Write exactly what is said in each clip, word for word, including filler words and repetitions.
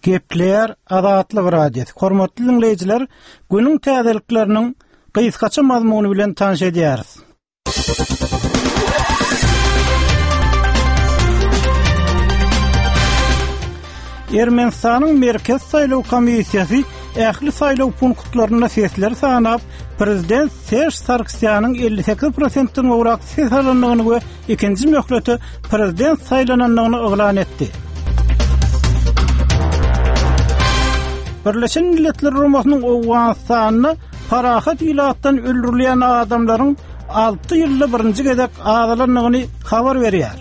Gepleýär Azatlyk Radiosy. Hormatly diňleýjiler, günüň täzelikleriniň gysgaça mazmuny bilen tanyş edýäris. Ermenistanyň Merkez Saýlaw Komissiýasy ähli saýlaw punktlarynda sesleri sanap, prezident Serj Sargsýanyň elli sekiz prosentden gowrak ses alandygyny we ikinji möhlete prezident saýlanandygyny yglan etdi. Birleşen Milletler Guramasynyň Owganystanda parahat ilatdan öldürilýän adamlaryň alty ýylda birinji gezek azalandygyny habar berýär.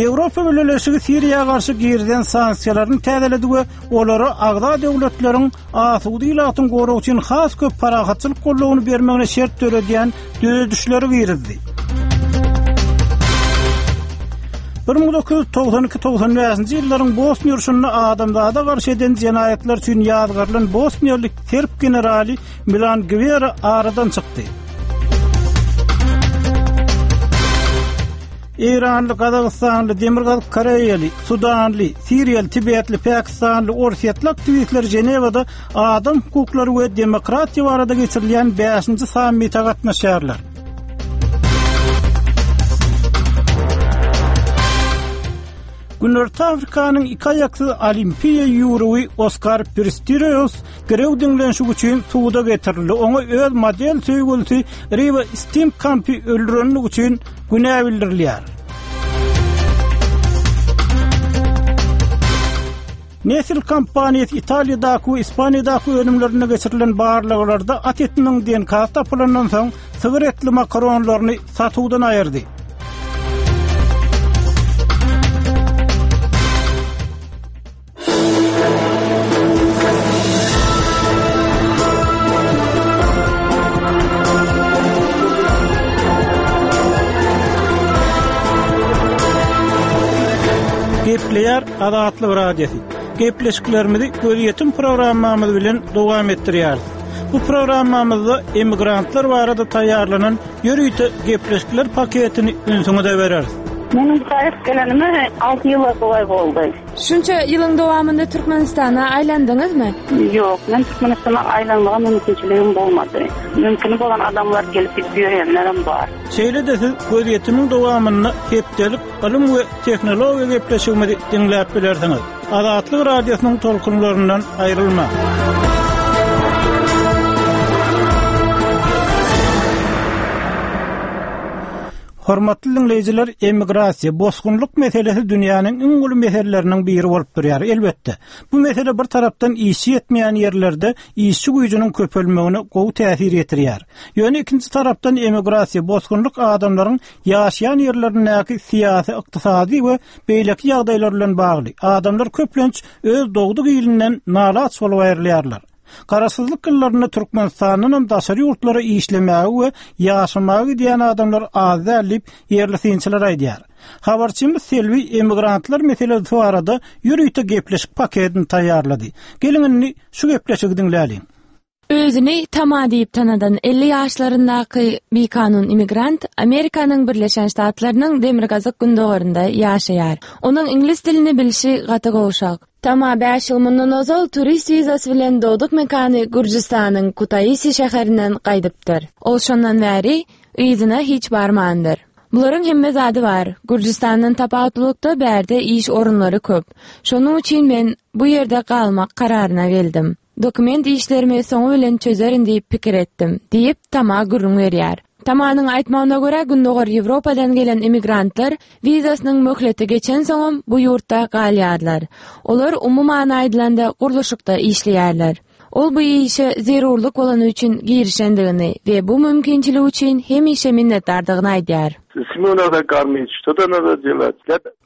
Ýewropa Bileleşigi Siriýa garşy girizilen sanksiýalaryny täzeledi we olara agza döwletleriň asuda ilatyň goragy üçin has köp parahatçylyk goldawyny bermegine şert döredýän düzedişleri girizdi. Bir müň dokuz ýüz togsan iki togsan bäşinji ýyllaryň Bosniýa urşunda adamzada garşy eden jenaýatlar üçin ýazgarylan Bosniýaly serb generaly Milan Gwera aradan çykdy. Eýranly, Gazagystanly, Demirgazyk Koreýaly, Sudanly, Siriýaly, Tibetli, Pakistanly, Orsýetli aktiwistler Ženewada adam hukuklary we demokratiýa barada geçirilýän bäşinji sammite gatnaşýarlar. Günorta Afrikanyň iki aýaksyz olimpiýa ýüwrügi Oskar Pistorius girew diňlenişik üçin suda getirildi. Oňa öz model söýgülisi Riva Steenkampy öldürenligi üçin günä bildirilýär. Nestle kompaniýasy Italiýadaky we Ispaniýadaky önümlerinde geçirilen barlaglarda at etiniň D N K tapylandan soň sygyr etli makaronlaryny satuwdan aýyrdy. Gepleýär Azatlyk Radiosy. Gepleşiklerimizi gözýetim programmamyz bilen dowam etdirýäris. Bu programmamyzda emigrantlar barada taýýarlanan ýörite gepleşikler paketini ünsüňize bereris. Meniň gaýyp gelenime alty ýyl golaý boldy. Şunça ýylyň dowamynda Türkmenistana aýlandyňyzmy? Ýok, men Türkmenistana aýlanmaga mümkinçiligim bolmady. Mümkin bolan adamlar gelip gidip ýörenlerim bar. Şeýle-de siz gözýetimiň dowamynda hepdelik ylym we tehnologiýa gepleşigimizi diňläp bilersiňiz. Azatlyk Radiosynyň tolkunlaryndan aýrylma. Hormatly dinleýjiler, emigrasiýa, bosgunlyk meselesi dünýäniň iň uly meseleleriniň biri bolup durýar. Elbetde, bu mesele bir tarapdan işçi ýetmeýän ýerlerde işçi güýjüniň köpelmegine gowy täsir ýetirýär. Ýöne ikinji tarapdan emigrasiýa, bosgunlyk adamlaryň ýaşaýan ýerlerindäki syýasy, ykdysady we beýleki ýagdaýlar bilen bagly. Adamlar köplenç öz dogduk ilinden nalaç bolup aýrylýarlar. Garaşsyzlyk ýyllarynda Türkmenistandan hem daşary ýurtlara işlemäge we ýaşamaga gidýän adamlar az däl diýip ýerli synçylar aýdýar. Habarçymyz Selwi emigrantlar meselesi barada ýörite gepleşik paketini taýýarlady. Geliň indi şu gepleşigi diňläliň. Özüni Tama diýip tanadan elli ýaşlaryndaky bikanun immigrant Amerikanyň Birleşen Ştatlarynyň Demirgazyk gündogarynda ýaşaýar. Onuň iňlis dilini bilşi gaty gowşak. Tama bäş ýyl mundan ozal turist wizasy bilen dogduk mekany Gürjüstanyň Kutaisi şäherinden gaýdypdyr. Ol şondan bäri yzyna hiç barmandyr. Bularyň hemme zady bar. Gürjüstandan tapawutlylykda bärde iş orunlary köp. Şonuň üçin men bu ýerde galmak kararyna geldim. Dokument işlerimi soňy bilen çözerin diýip pikir etdim, diýip Tama gürrüň berýär. Tamanyň aýtmagyna görä Gündogar Ýewropadan gelen immigrantlar wizasynyň möhleti geçen soňam bu ýurtda galýarlar. Olar umuman aýdylanda gurluşykda işleýärler. Ol bu işe zerurlyk bolany üçin girişendigini we bu mümkinçilik üçin hemişe minnetdardygyny aýdýar. Семью надо кормить, что-то надо делать.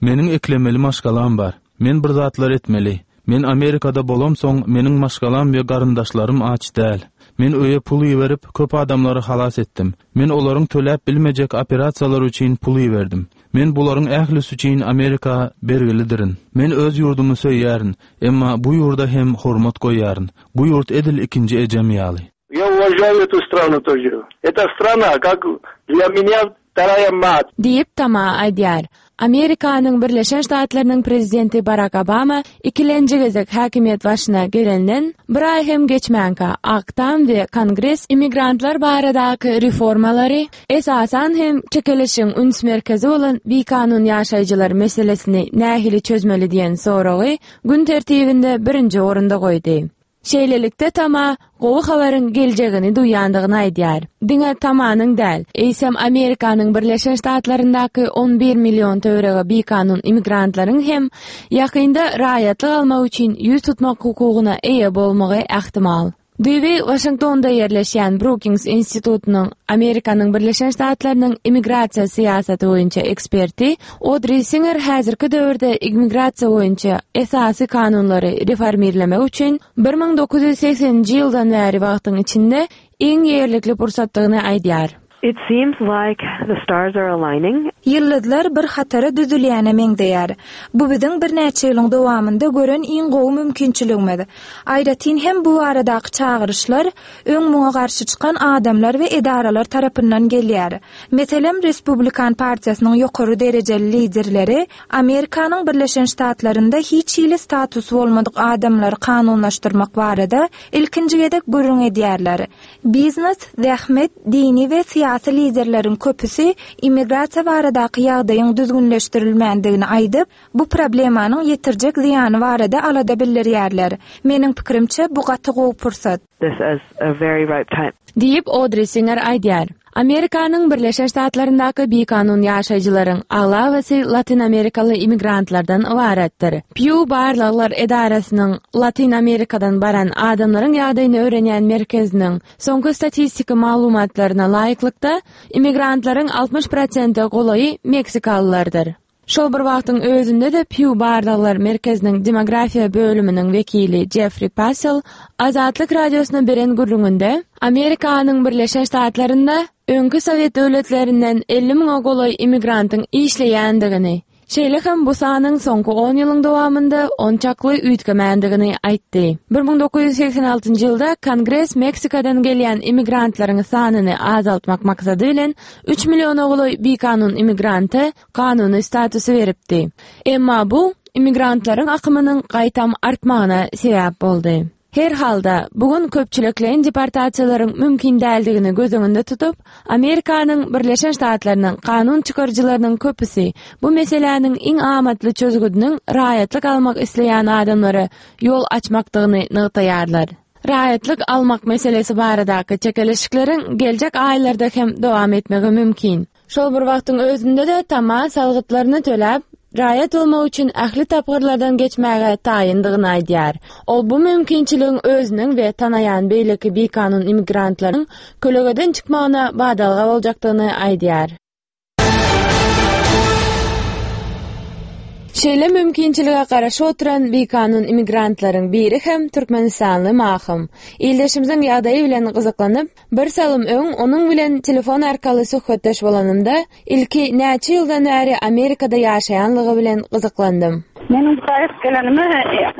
Meniň eklemeli maşgalam bar. Men bir zatlar etmeli. Men Amerikada bolamsoň, meniň maşgalam we garyndaşlarym aç däl. Men öýe pul iberip, köp adamlary halas etdim. Men olaryň töläp bilmejek operasiýalary üçin pul iberdim. Men bularyň ählisi üçin Amerika bergilidirin. Men öz ýurdumy söýýärin, emma bu ýurda hem hormat goýýaryn. Bu ýurt edil ikinji ejem ýaly. Я уважаю эту страну тоже. Эта страна, как для меня вторая мать. Diýip Tama aýdýar. Amerikanyň Birleşen Ştatlarynyň prezidenti Barak Obama ikilenji gezek häkimiýet başyna gelenden bir aý hem geçmänkä Ak Tam we Kongres immigrantlar baradaky reformalary, esasan hem çekeleşigiň üns merkezi bolan bikanun ýaşaýjylar meselesini nähili çözmeli diýen soragy gün tertibinde birinji orunda goýdy. Şeýlelikde Tama gowy habaryň geljegini duýandygyny aýdýar. Diňe Tamanyň däl, eýsem Amerikanyň Birleşen Ştatlaryndaky on bir million töweregi bikanun immigrantlaryň hem ýakynda raýatlyk almak üçin ýüz tutmak hukugyna eýe bolmagy ähtimal. Düýbi Waşingtonda ýerleşýän Brookings institutynyň Amerikanyň Birleşen Ştatlarynyň immigrasiýa syýasaty boýunça eksperti Odri Singer häzirki döwürde immigrasiýa boýunça esasy kanunlary reformirlemek üçin bir müň dokuz ýüz segseninji ýyldan bäri wagtyň içinde iň ýerlikli pursatdygyny aýdýar. It seems like the stars are aligning. Ýyldyzlar bir hatara düzülýäne meňzeýär. Bu biziň birnäçe ýylyň dowamynda gören iň gowy mümkinçiligimiz. Aýratyn hem bu baradaky çagyryşlar öň muňa garşy çykan adamlar we edaralar tarapyndan gelýär. Meselem, Respublikan partiýasynyň ýokary derejeli liderleri Amerikanyň Birleşen Ştatlarynda hiç hili status bolmadyk adamlary kanunlaşdyrmak barada ilkinji gezek gürrüň edýärler. Biznes, zähmet, dini we syýasy liderleriň köpüsi immigrasiýa baradaky ýagdaýyň düzgünleşdirilmändigini aýdyp, bu problemanyň ýetirjek zyýany barada alada bildirýärler. Meniň pikirimçe bu gaty gowy pursat. This is a very ripe time. Diýip Odri Singer aýdýar. Amerikanyň Birleşen Ştatlaryndaky bikanun ýaşaýjylaryň aglabasy Latin Amerikaly immigrantlardan ybaratdyr. Pew Barlaglar edarasynyň Latin Amerikadan baran adamlaryň ýagdaýyny öwrenýän merkeziniň soňky statistiki maglumatlaryna laýyklykda immigrantlaryň altmyş prosente golaýy Meksikalylardyr. Şol bir wagtyň özünde de Pew Barlaglar merkeziniň demografiýa bölüminiň wekili Jeffrey Passel Azatlyk radiosyna beren gürrüňinde Amerikanyň Birleşen Ştatlarynda öňki Sowet döwletlerinden elli müňe golaý immigrantyň işleýändigini, şeýle hem bu sanyň soňky on ýylyň dowamynda onçakly üýtgemändigini aýtdy. bir müň dokuz ýüz segsen altynjy ýylda Kongres Meksikadan gelýän immigrantlaryň sanyny azaltmak maksady bilen üç milliona golaý bikanun immigranta kanuny statusy beripdi. Emma bu immigrantlaryň akymynyň gaýtam artmagyna sebäp boldy. Her halda bugün köpçülikleýin deportasiýalaryň mümkin däldigini göz öňünde tutup, Amerikanyň Birleşen Ştatlarynyň kanun çykaryjylarynyň köpüsi bu meseläniň iň amatly çözgüdiniň raýatlyk almak isleýän adamlara ýol açmakdygyny nygtaýarlar. Raýatlyk almak meselesi baradaky çekeleşikleriň geljek aýlarda hem dowam etmegi mümkin. Şol bir wagtyň özünde de Tama salgytlaryny töläp, raýat bolmak üçin ähli tapgyrlardan geçmäge taýyndygyny aýdýar. Ol bu mümkinçiligiň özüniň we tanaýan beýleki bikanun immigrantlaryň kölegeden çykmagyna badalga boljakdygyny aýdýar. Şeýle mümkinçilige garaşyp oturan bikanun immigrantlaryň biri hem Türkmenistanly Mahym. Ildeşimiziň ýagdaýy bilen gyzyklanyp, bir salym öň onuň bilen telefon arkaly söhbetdeş bolanymda, ilki näçe ýyldan bäri Amerikada ýaşaýanlygy bilen gyzyklandym. Meniň gaýyp gelenime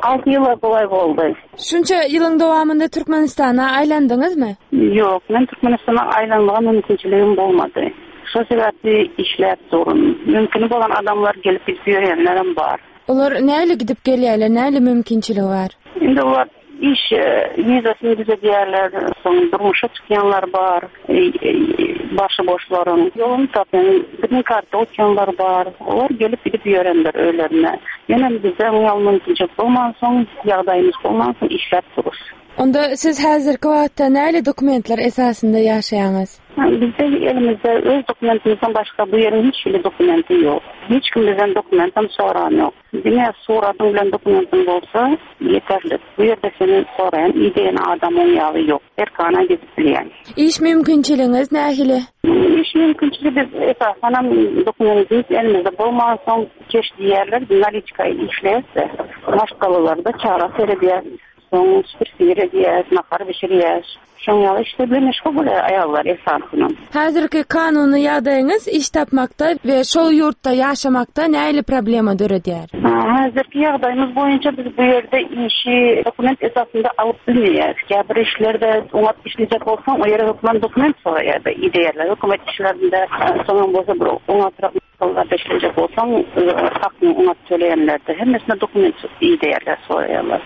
alty ýyl golaý boldy. Şunça ýylyň dowamynda Türkmenistana aýlandyňyzmy? Ýok, men Türkmenistana aýlanmaga mümkinçiligim bolmady. Şo sebäpli işläp durun. Mümkin bolan adamlar gelip gidip ýörenlerim bar. Olar näle gidip gelýärler, näle mümkinçiligi bar? Indi olar iş, e, wizasyny düzedýärler, soň durmuşa çykýanlar bar, e, e, başy boşlaryň ýoluny tapýan, green card utýanlar bar. Olar gelip gidip ýörenler öýlerine. Ýöne bizde oňa mümkinçilik bolmansoň, ýagdaýymyz bolmansoň işläp duruz. Onda siz häzirki wagtda näle dokumentler esasynda ýaşaýaňyz? Bizde elimizde öz dokumentimizden başga bu ýeriň hiç hili dokumenti ýok. Hiç kim bizden dokumentem soran ýok. Diňe suratyň bilen dokumentiň bolsa ýeterli. Bu ýerde seni soraýan, ideýän adamyň ýaly ýok. Erkana gidip bilýän. Iş mümkinçiligiňiz nähili? Iş mümkinçiligi biz esasanam dokumentimiz elimizde bolmansoň keş diýerler, naliçka işleýärse, maşgalalarda çara seredýär. Soň süpürse edýär, nahar bişirýär. Şoň ýaly işler bilen meşgul bolýar aýallar esasan. Häzirki kanuny ýagdaýyňyz iş tapmakda we şol ýurtda ýaşamakda nähili problema döredýär? Häzirki ýagdaýymyz boýunça biz bu ýerde işi dokument esasynda alyp bilmeýäris. Ýa bir işlerde oňat işlejek bolsaň, o ýere hökman dokument soraýar, ideýärler. Hökümet işlerinde soňam bolsa bir oňatrak maşgalalarda işlejek bolsaň, hakyny oňat töleýänlerde hemmesine dokument ideýärler, soraýarlar.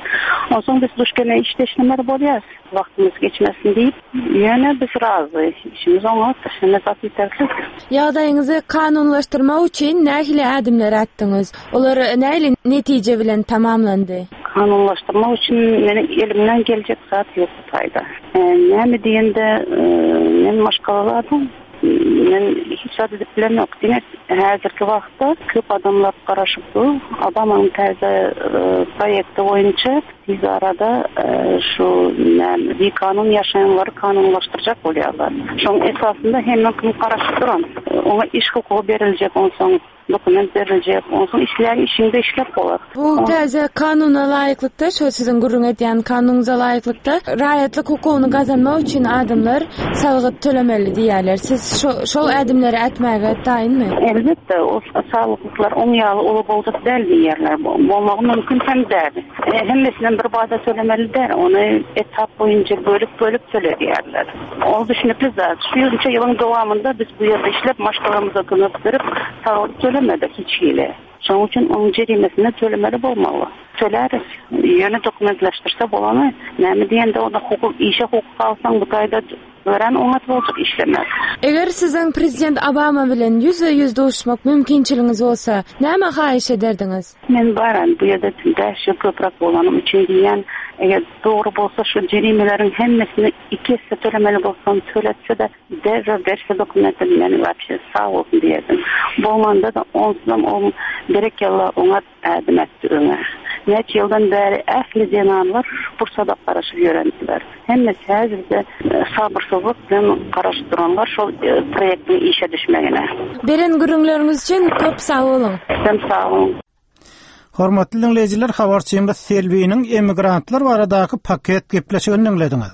Onsoň biz duş gelene işte işlemeli bolýar. Wagtymyz geçmesin diýip, ýöne biz razy. Işimiz oňat, hemme zat ýeterlik. Ýagdaýyňyzy kanunlaşdyrmak üçin nähili ädimler ätdiňiz? Olar nähili netije bilen tamamlandy? Kanunlaşdyrmak üçin meniň elimden geljek zat ýok bu taýda. E, näme diýende, e, men maşgalaly adam. Men hiç zat edip bilemok. Diňe häzirki wagtda köp adamlar garaşyp dur. Obamanyň täze, e, proýekti boýunça tez arada, e, şu näme, bikanun ýaşaýanlary kanunlaşdyrjak bolýarlar. Şoň esasynda hemme kim garaşyp duran. E, oňa iş hukugy beriljek, onsoň dokument beriljek, onsoň işleýän işiňde işlep bolar. Bu täze kanuna laýyklykda, şo siziň gürrüň edýän kanunyňyza laýyklykda raýatlyk hukugyny gazanmak üçin adamlar salgyt tölemeli diýýärler. Siz şo-, şol ädimleri ätmäge taýynmy? Elbetde, o salgytlar oň ýaly uly boljak däl diýýärler. Bolmagy mümkin hem däl. E, hemmesinden bir bada tölemeli däl. Ony etap boýunça bölüp-bölüp töle diýýärler. Ol düşünikli zat. Şu ýylça ýylyň dowamynda biz bu ýerde işlep maşgalamyza kömek berip salgyt tölemedik hiç hili. Şonuň üçin onuň jerimesini tölemeli bolmaly. Töläris. Ýöne dokumentleşdirse bolany, näme diýende onda hukuk, işe hukuk alsaň bu taýda öwren oňat boljak işlemek. Eger siziň prezident Obama bilen ýüzbe-ýüz duşmak mümkinçiligiňiz bolsa, näme haýyş ederdiňiz? Men baran bu ýerde bäş ýyl köpräk bolanym üçin diýen, eger dogry bolsa şu jerimeleriň hemmesini iki esse tölemeli bolsam, töletse-de derrew berse dokumenti men wapşe sag bolsun diýerdim. Bolmanda da onsuzam o berekella oňat ädim etdi öňe. Näçe ýyldan bäri ähli zenanlar şu pursada garaşyp ýörendiler. Hemmesi häzirde, e, sabyrsyzlyk bilen garaşyp duranlar şol, e, proýektiň işe düşmegine. Beren gürrüňleriňiz üçin köp sag boluň. Sizem sag boluň. Hormatly dinleýjiler, habarçymyz Selbiniň emigrantlar baradaky paket gepleşigini diňlediňiz.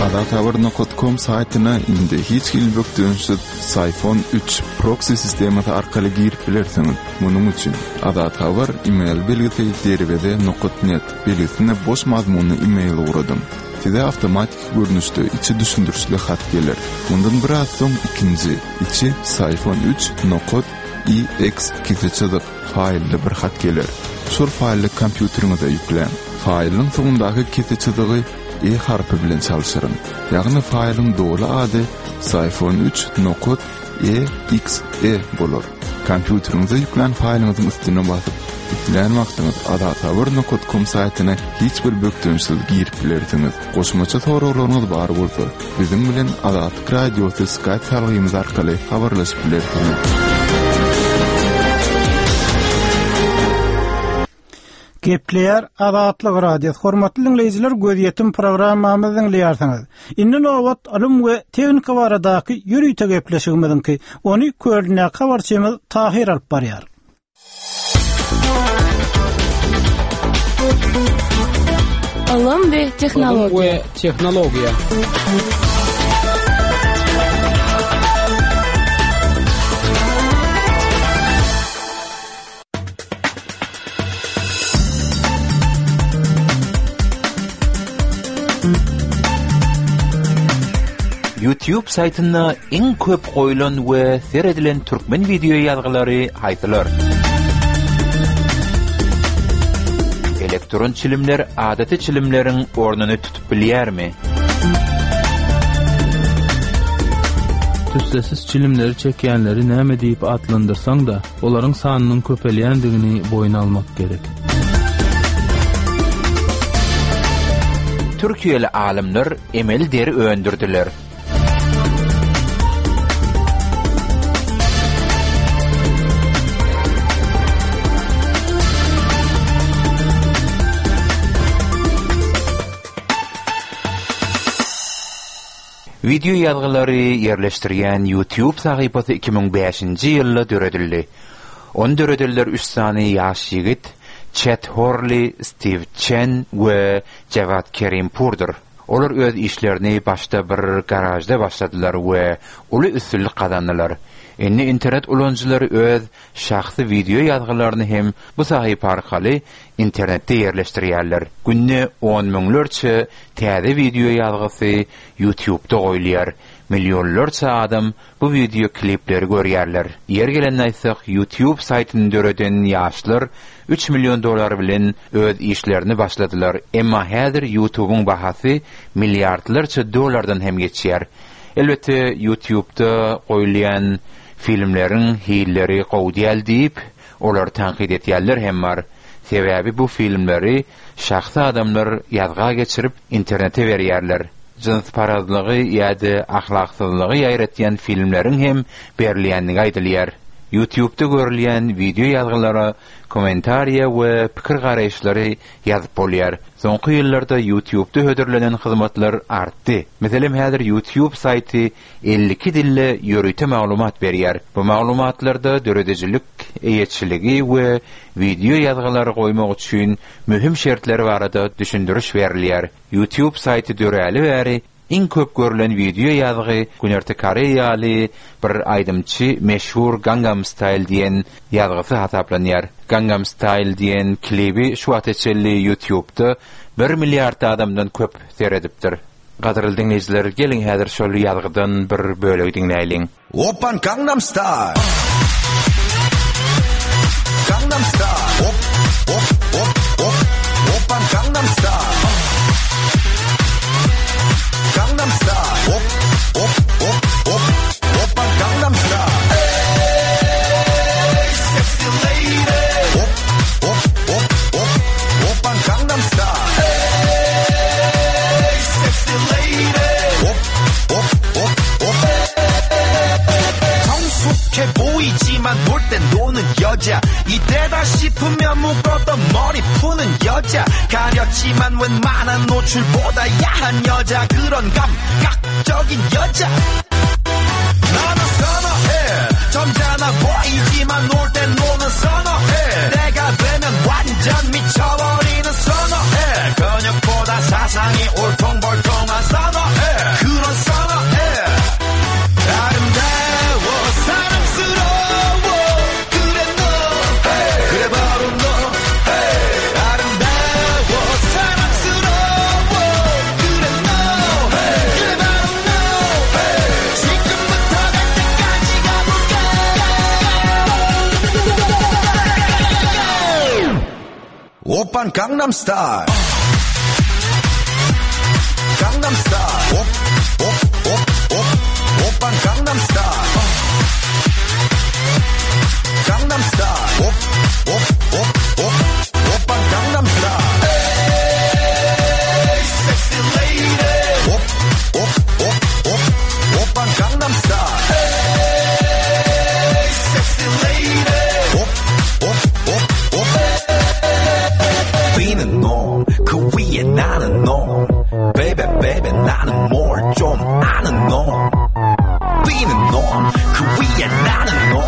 Azathabar nokta com saýtyna indi hiç hili bökdençsiz Syfon üç proxy sistemasy arkaly girip bilersiňiz. Munuň üçin Azathabar email belgisi derweze nokta net belgisine boş mazmunly email ugradyň. Size awtomatik görnüşde içi düşündirişli hat geler. Mundan biraz soň ikinji içi Syfon üç nokta E X kese çyzyk faýlly bir hat geler. Şol faýly kompýuteriňize ýükläň. Faýlyň soňundaky kese çyzygy E harpy bilen çalşyryň. Ýagny faýlyň doly ady Syfon üç nokta E X E bolar. Kompýuteriňize ýüklän faýlyňyzyň üstüne basyp, islän wagtyňyz azathabar nokta com saýtyna hiç bir bökdençsiz girip bilersiňiz. Goşmaça soraglaryňyz bar bolsa, biziň bilen Azatlyk Radiosy Skype salgymyz arkaly habarlaşyp bilersiňiz. Gepleýär Azatlyk Radiosy. Hormatly dinleýjiler, gözýetim programmamyzy diňleýärsiňiz. Indi nobat ylym we tehnika baradaky ýörite gepleşigimiziňki. Ony Kölnäki habarçymyz Tahir alyp barýar. Ylym we tehnologiýa. Ylym we tehnologiýa. YouTube saýtynda iň köp goýulan we seredilen türkmen video ýazgylary haýsylar? Elektron çilimler adaty çilimleriň ornuny tutup bilýärmi? Tüssesiz çilimleri çekýänleri näme diýip atlandyrsaň da, olaryň sanynyň köpelýändigini boýun almak gerek. Türkiýeli alymlar emel deri öndürdiler. Video ýazgylary ýerleşdirýän YouTube sahypasy iki müň bäşinji ýylda döredildi. On döredildiler üç sany ýaş ýigit, Çet Horli, Steve Chen we Jawad Kerimpurdyr. Olar öz işlerini başda bir garajda başladylar we uly üstünlik gazandylar. Indi internet ulanyjylary öz şahsy wideo ýazgylaryny hem bu sahypa arkaly internetde ýerleşdirýärler. Günde on müňlerçe täze wideo ýazgysy YouTube'da goýulýar. Milyonlarça adam bu wideo klipleri görýärler. Ýer gelende aýtsak, YouTube saýtyny döreden ýaşlar üç million dolar bilen öz işlerini başladylar. Emma häzir YouTube'un bahasy milliardlarça dolardan hem geçýär. Elbetde YouTube'da goýulýan filmleriň hilleri gowy däl diýip, olar tanqid etýärler hem bar. Sebäbi bu filmleri şahsy adamlar ýazga geçirip internete berýärler. Jynsparazlygy ýa-da ahlaksyzlygy ýaýratýan filmleriň hem berilýänligi aýdylýar. YouTube'da görülýän wideo ýazgylara kommentariýa we pikir garaýyşlary ýazyp bolýar. Soňky ýyllarda YouTube'da hödürlenen hyzmatlar artdy. Meselem, häzir YouTube saýty elli iki dilde ýörite maglumat berýär. Bu maglumatlarda döredijilik, eýeçiligi we wideo ýazgylary goýmak üçin möhüm şertler barada düşündiriş berilýär. YouTube saýty döräli bäri iň köp görülen wideo ýazgy Günorta Koreýaly bir aýdymçy meşhur Gangnam Style diýen ýazgysy hasaplanýar. Gangnam Style diýen klibi şu wagta çenli YouTube'da bir milliard adamdan köp seredipdir. Gadyrly diňleýjiler, geliň häzir şol ýazgydan bir bölegi diňläýliň. Oppan Gangnam Style. Gangnam Style. Op, op, op, op. Oppan Gangnam Style. Gangnam Style. Op, op, op, op. Oppan Gangnam Style. Hey, sexy lady. Op, op, op, op. Oppan Gangnam Style. Hey, sexy lady. Op, op, op, op. 성숙해 보이지만 놀 땐 노는 여자. 이때다 싶으면 묶었던 머리 푸는 여자. 가렸지만 웬만한 노출보다 야한 여자. 그런 감각적인 여자. 나는 선어해. 점잖아 보이지만 놀 땐 노는 선어해. 내가 되면 완전 미쳐버리는 선어해. 근육보다 사상이 울퉁불퉁한 선어해. 그런 선어해. 아름다워 사랑스러워 그래 너. 그래 바로 너. 아름다워 사랑스러워 그래 너. 그래 바로 너. 지금부터 갈 때까지 가볼까. 오빤 강남스타일. 강남스타일. 옵, 옵, 옵, 옵. 오빤 강남스타일. 강남스타일. 옵, 옵, 옵, 옵. 오빤 강남스타일. 에이, sexy lady. 옵, 옵, 옵, 옵. 오빤 강남스타일. 에이, sexy lady. 옵, 옵, 옵, 옵. 뛰는 놈, 그 위에 나는 놈. Baby, baby, 나는 뭘 좀 아는 놈. 뛰는 놈, 그 위에 나는 놈.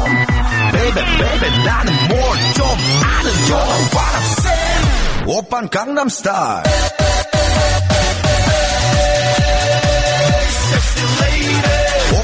Baby, baby, 나는 뭘 좀 아는 놈. What I'm saying? 오빤 강남스타일. Sexy lady. 옵,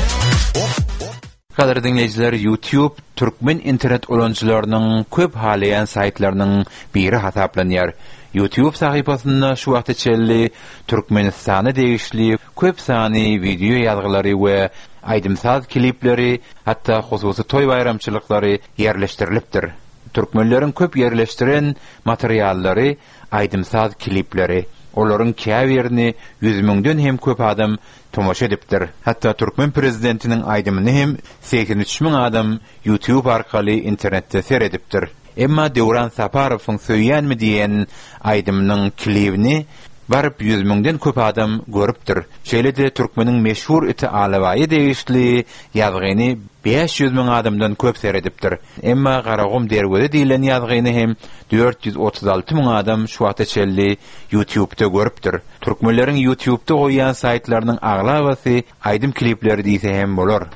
옵, 옵. Gadyrly diňleýjiler, YouTube türkmen internet ulanyjylarynyň köp halaýan saýtlarynyň biri hasaplanýar. YouTube sahypasynda şu wagta çenli Türkmenistana degişli köp sany wideo ýazgylary we aýdym-saz klipleri, hatda hususy toý baýramçylyklary ýerleşdirilipdir. Türkmenleriň köp ýerleşdiren materiallary aýdym-saz klipleri. Olaryň käbirini ýüz müňden hem köp adam tomaşa edipdir. Hatda türkmen prezidentiniň aýdymyny hem seksen üç müň adam YouTube arkaly internetde seredipdir. Emma Döwran Saparowyň Söýýänmi diýen aýdymynyň klibini baryp ýüz müňden köp adam görüpdir. Şeýle-de türkmeniň meşhur iti Alabaýy degişli ýazgyny bäş ýüz müň adamdan köp seredipdir. Emma Garagum derweze diýilen ýazgyny hem dört ýüz otuz alty müň adam şu wagta çenli YouTube'da görüpdir. Türkmenleriň YouTube'da goýýan saýtlarynyň aglabasy aýdym klipleri diýse hem bolar.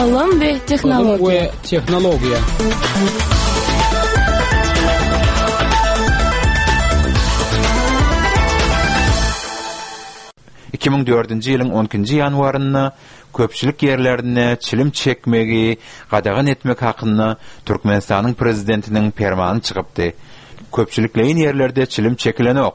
Ylym Ylym we Ylym tehnologiýa. we tehnologiýa. Iki müň dördünji ýylyň on ikinji ýanwarynda köpçülik ýerlerinde çilim çekmegi gadagan etmek hakynda Türkmenistanyň prezidentiniň permany çykypdy. Köpçülikleýin ýerlerde çilim çekilenok.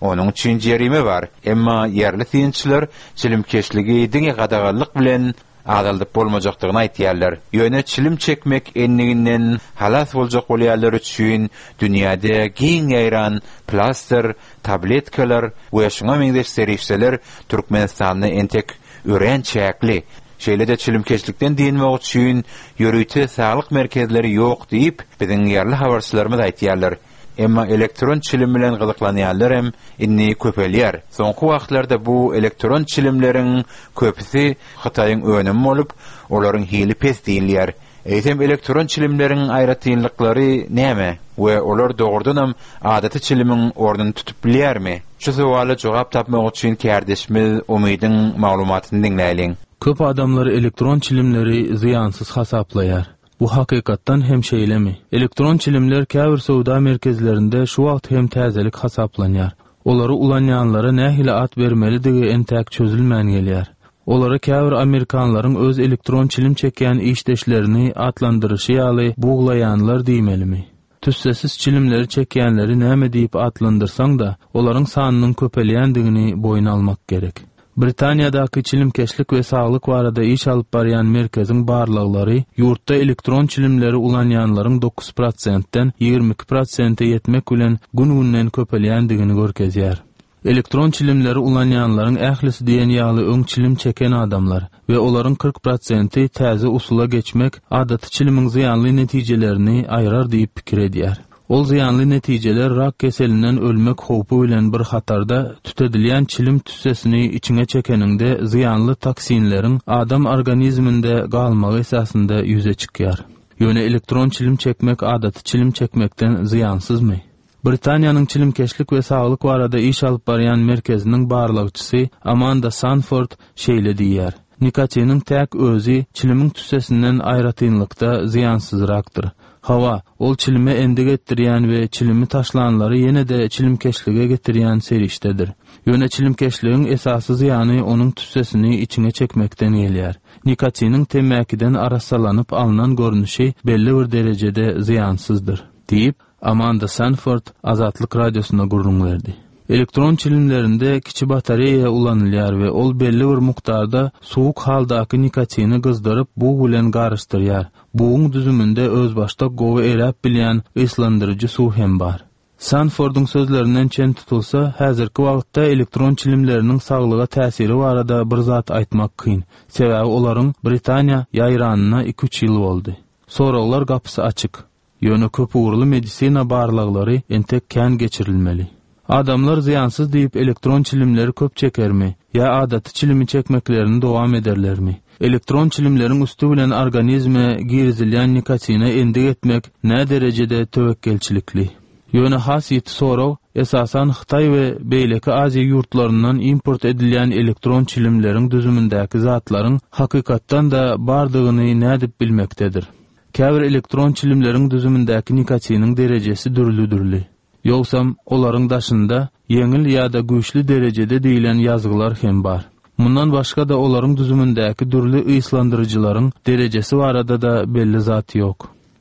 Onuň üçin jerime bar. Emma ýerli synçylar çilimkeşligi diňe gadaganlyk bilen azaldyp bolmajakdygyny aýtýarlar. Ýöne çilim çekmek endiginden halas boljak bolýanlar üçin dünýäde giň ýaýran plaster, tabletkalar we şuňa meňzeş serişdeler Türkmenistanda entek örän çäkli. Şeýle-de çilimkeşlikden dynmak üçin ýörite saglyk merkezleri ýok diýip, biziň ýerli habarçylarymyz aýtýarlar. Emma elektron çilim bilen gyzyklanýanlar hem indi köpelýär. Soňky wagtlarda bu elektron çilimleriň köpüsi Hytaýyň önümi bolup, olaryň hili pes diýilýär. Eýsem elektron çilimleriň aýratynlyklary näme we olar dogrudanam adaty çilimiň ornuny tutup bilýärmi? Şu sowala jogap tapmak üçin kärdeşimiz Umydyň maglumatyny diňläýliň. Köp adamlar elektron çilimleri zyýansyz hasaplaýar. Bu hakykatdan hem şeýlemi? Elektron çilimler käbir söwda merkezlerinde şu wagt hem täzelik hasaplanýar. Olary ulanýanlara nähili at bermelidigi entäk çözülmän gelýär. Olary käbir Amerikanlaryň öz elektron çilim çekýän işdeşlerini atlandyryşy ýaly buglaýanlar diýmelimi? Tüssesiz çilimleri çekýänleri näme diýip atlandyrsaň da, olaryň sanynyň köpelýändigini boýun almak gerek. Britaniýadaky çilimkeşlik we saglyk barada iş alyp barýan merkeziň barlaglary ýurtda elektron çilimleri ulanýanlaryň dokuz prosentden ýigrimi iki prosente ýetmek bilen gün-günden köpelýändigini görkezýär. Elektron çilimleri ulanýanlaryň ählisi diýen ýaly öň çilim çeken adamlar we olaryň kyrk prosenti täze usula geçmek adaty çilimiň zyýanly netijelerini aýrar diýip pikir edýär. Ol zyýanly netijeler rak keselinden ölmek howpy bilen bir hatarda tütedilýän çilim tüssesini içiňe çekeniňde zyýanly toksinleriň adam organizminde galmagy esasynda ýüze çykýar. Ýöne elektron çilim çekmek adaty çilim çekmekden zyýansyzmy? Britaniýanyň çilimkeşlik we saglyk barada iş alyp barýan merkeziniň barlagçysy Amanda Sanford şeýle diýýär. Nikotiniň täk özi çilimiň tüssesinden aýratynlykda zyýansyzrakdyr. Hawa, ol çilime endik etdirýän we çilimi taşlanlary ýene-de çilimkeşlige getirýän serişdedir. Ýöne çilimkeşligiň esasy zyýany onuň tüssesini içiňe çekmekden gelýär. Nikotiniň temmäkiden arassalanyp alnan görnüşi belli bir derejede zyýansyzdyr, diýip Amanda Sanford Azatlyk Radiosyna gürrüň berdi. Elektron çilimlerinde kiçi batareýa ulanylýar we ol belli bir mukdarda soğuk haldaky nikotini gyzdyryp bug bilen garyşdyrýar. Buguň düzüminde özbaşdak gowy eräp bilýän yslandyryjy suw hem bar. Sanfordyň sözlerinden çen tutulsa, häzirki wagtda elektron çilimleriniň saglyga täsiri barada bir zat aýtmak kyn. Sebäbi olaryň Britaniýa ýaýranyna iki üç ýyl boldy. Soraglar gapysy açyk. Ýöne köp ugurly medisina barlaglary entek kän geçirilmeli. Adamlar zyýansyz diýip elektron çilimleri köp çekermi ýa adaty çilimi çekmeklerini dowam ederlermi? Elektron çilimleriň üstü bilen organizme girizilýän nikotine endik etmek nä derejede töwekgelçilikli? Ýöne has ýiti sorag esasan Hytaý we beýleki Aziýa ýurtlaryndan import edilýän elektron çilimleriň düzümindäki zatlaryň hakykatdan da bardygyny nädip bilmekdedir. Käbir elektron çilimleriň düzümindäki nikotiniň derejesi dürli-dürli. Ýogsam olaryň daşynda ýeňil ýa-da güýçli derejede diýilen ýazgylar hem bar. Mundan başga da olaryň düzümindäki dürli yslandyryjylaryň derejesi barada da belli zat ýok.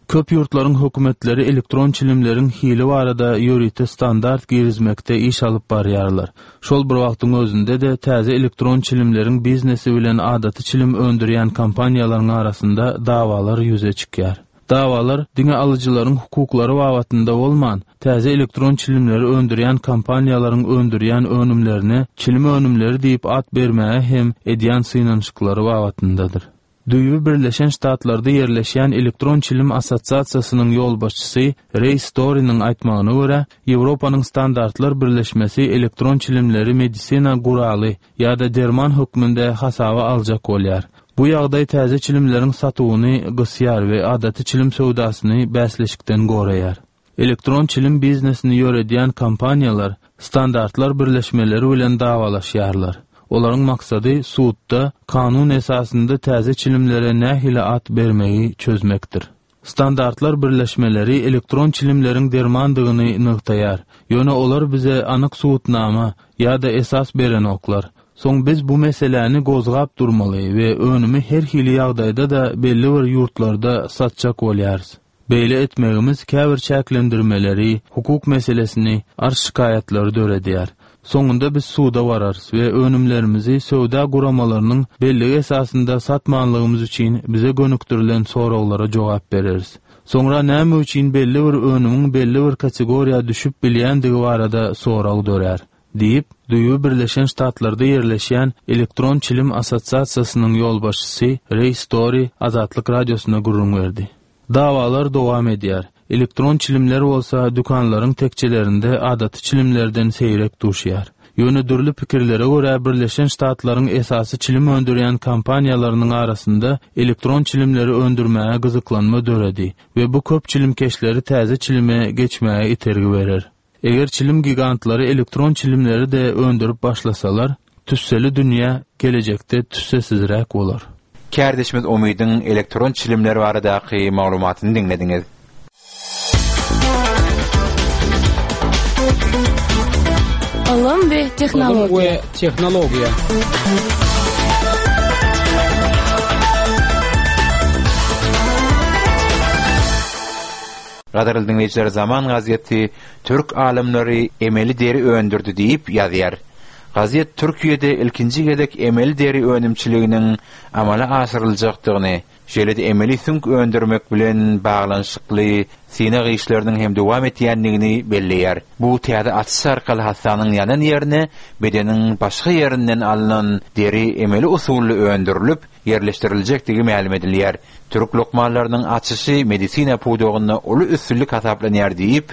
Köp ýurtlaryň hökümetleri elektron çilimleriň hili barada ýörite standart girizmekde iş alyp barýarlar. Şol bir wagtyň özünde de täze elektron çilimleriň biznesi bilen adaty çilim öndürýän kompaniýalaryň arasynda dawalar ýüze çykýar. Davalar diňe alyjylaryň hukuklary babatynda bolman, täze elektron çilimleri öndürýän kompaniýalaryň öndürýän önümlerine çilim önümleri diýip at bermäge hem edýän synanyşyklary babatyndadyr. Düýbi Birleşen Ştatlarda ýerleşýän Elektron Çilim Assosiasiýasynyň ýolbaşçysy Ray Story'nyň aýtmagyna görä, Ýewropanyň standartlar birleşmesi elektron çilimleri medisina guraly ýa-da derman hökmünde hasaba aljak bolýar. Bu ýagdaý täze çilimleriň satuwyny gysýar we adaty çilim söwdasyny bäsleşikden goraýar. Elektron çilim biznesini ýöredýän kompaniýalar standartlar birleşmeleri bilen dawalaşýarlar. Olaryň maksady sudda kanun esasynda täze çilimlere nähili at bermegi çözmekdir. Standartlar birleşmeleri elektron çilimleriň dermandygyny nygtaýar. Ýöne olar bize anyk subutnama ýa-da esas berenoklar. Soň biz bu meseläni gozgap durmaly we önümi her hili ýagdaýda da belli bir ýurtlarda satjak bolýarys. Beýle etmegimiz käbir çäklendirmeleri, hukuk meselesini, arz şikaýatlary döredýär. Soňunda biz suda bararys we önümlerimizi söwda guramalarynyň belligi esasynda satmanlygymyz üçin bize gönükdirilen soraglara jogap bereris. Soňra näme üçin belli bir önümiň belli bir kategoriýa düşüp bilýändigi barada sorag dörär diýip, Düýbi Birleşen Ştatlarda ýerleşýän Elektron Çilim Assosiasiýasynyň ýolbaşçysy Ray Story Azatlyk Radiosyna gürrüň berdi. Dawalar dowam edýär. Elektron çilimler bolsa dükanlaryň tekçelerinde adaty çilimlerden seýrek duşýar. Ýöne dürli pikirlere görä Birleşen Ştatlaryň esasy çilim öndürýän kompaniýalarynyň arasynda elektron çilimleri öndürmäge gyzyklanma döredi we bu köp çilimkeşleri täze çilime geçmäge itergi berer. Eger çilim gigantlary elektron çilimleri de öndürip başlasalar, tüsseli dünýä gelejekde tüssesizräk bolar. Kärdeşimiz Umydyň elektron çilimler baradaky maglumatyny diňlediňiz. Ylym we Ylym tehnologiýa. we tehnologiýa. Gadyrly diňleýjiler, Zaman gazeti Türk alymlary emeli deri öndürdi diýip ýazýar. Gazet Türkiýede ilkinji gezek emeli deri önümçiliginiň amala aşyryljakdygyny, şeýle-de emeli süňk öndürmek bilen baglanyşykly synag işleriniň hem dowam etýändigini belleýär. Bu täze açyş arkaly hassanyň ýanan ýerine bedeniň başga ýerinden alnan deri emeli usully öndürilip ýerleşdiriljekdigi mälim edilýär. Türk lukmanlarynyň açyşy medisina pudagynda uly üstünlik hasaplanýar diýip,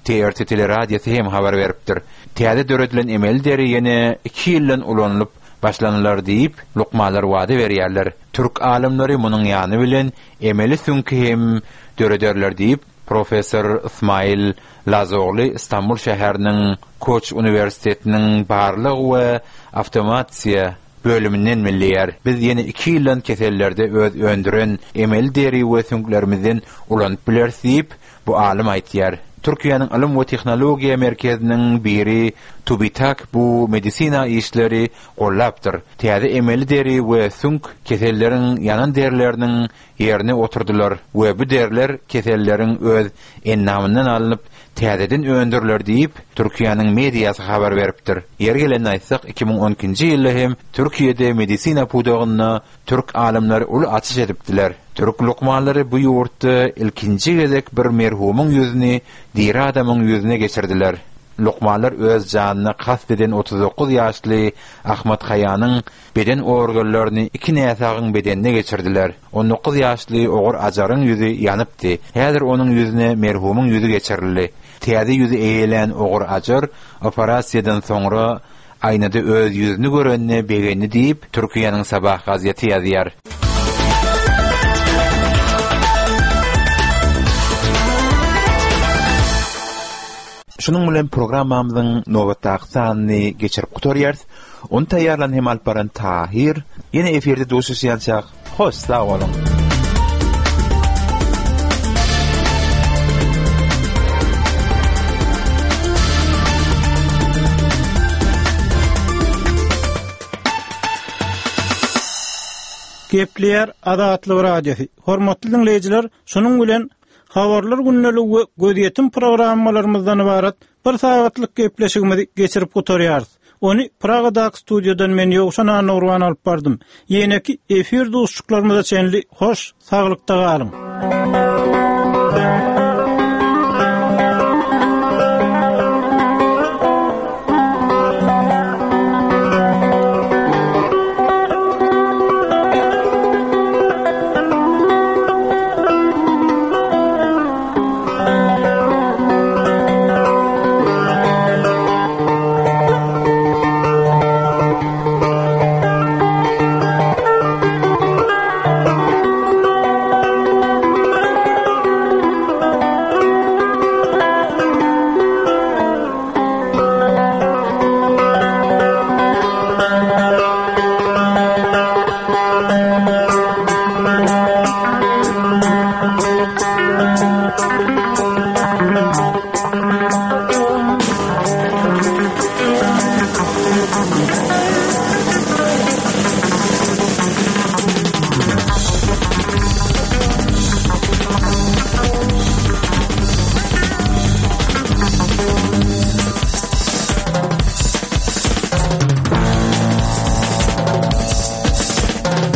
T R T teleradiosy hem habar beripdir. Täze döredilen emeli deri ýene iki ýyldan ulanylyp başlanylar diýip, lukmanlar wada berýärler. Türk alymlary munuň ýany bilen emeli süňki hem dörederler diýip, Professor Ismail Lazogly İstanbul şäheriniň Koç Uniwersitetiniň barlyk we awtomatiýa bölüminden belleýär. Biz ýene iki ýyldan kesellerde öz öndüren emeli deri we süňklerimizden ulanyp bileris diýip, bu alym aýtýar. Türkiýäniň Ylym we Tehnologiýa merkeziniň biri TÜBİTAK bu medisina işleri gollapdyr. Täze emeli deri we süňk keselleriň ýanan derileriniň ýerine oturdylar we bu deriler keselleriň öz ennamyndan alnyp täzeden öndüriler diýip, Türkiýäniň mediasy habar beripdir. Ýeri gelende aýtsak, iki müň on ikinji ýylda hem Türkiýede medisina pudagynda türk alymlary uly açyş edipdiler. Türk lukmanlary bu ýurtda ilkinji gezek bir merhumyň ýüzüni diri adamyň ýüzüne geçirdiler. Lukmanlar öz janyna kast eden otuz dokuz ýaşly Ahmet Haýanyň beden organlaryny iki näsagyň bedenine geçirdiler. On dokuz ýaşly Ogur Ajaryň ýüzi ýanypdy. Häzir onuň ýüzüne merhumyň ýüzi geçirildi. Täze ýüzi eýelen Ogur Ajar operasiýadan soňra aýnada öz ýüzüni görenine begendi diýip, Türkiýäniň Sabah gazeti ýazýar. Şunuň bilen programmamyzyň nobatdaky sanyny geçirip gutarýarys. Ony taýýarlan hem alyp baran Tahir. Ýene efirde duşuşýançak. Hoş sag boluň. Gepleýär Azatlyk Radiosy. Hormatly dinleýjiler, şunuň bilen habarlar günlügi we gözýetim programmalarymyzdan ibarat bir sagatlyk gepleşigimizi geçirip gutarýarys. Ony Pragadaky studiýadan men Ýowşan Annagurban alyp bardym. Ýeneki efir duşuşyklarymyza çenli hoş saglykda galyň.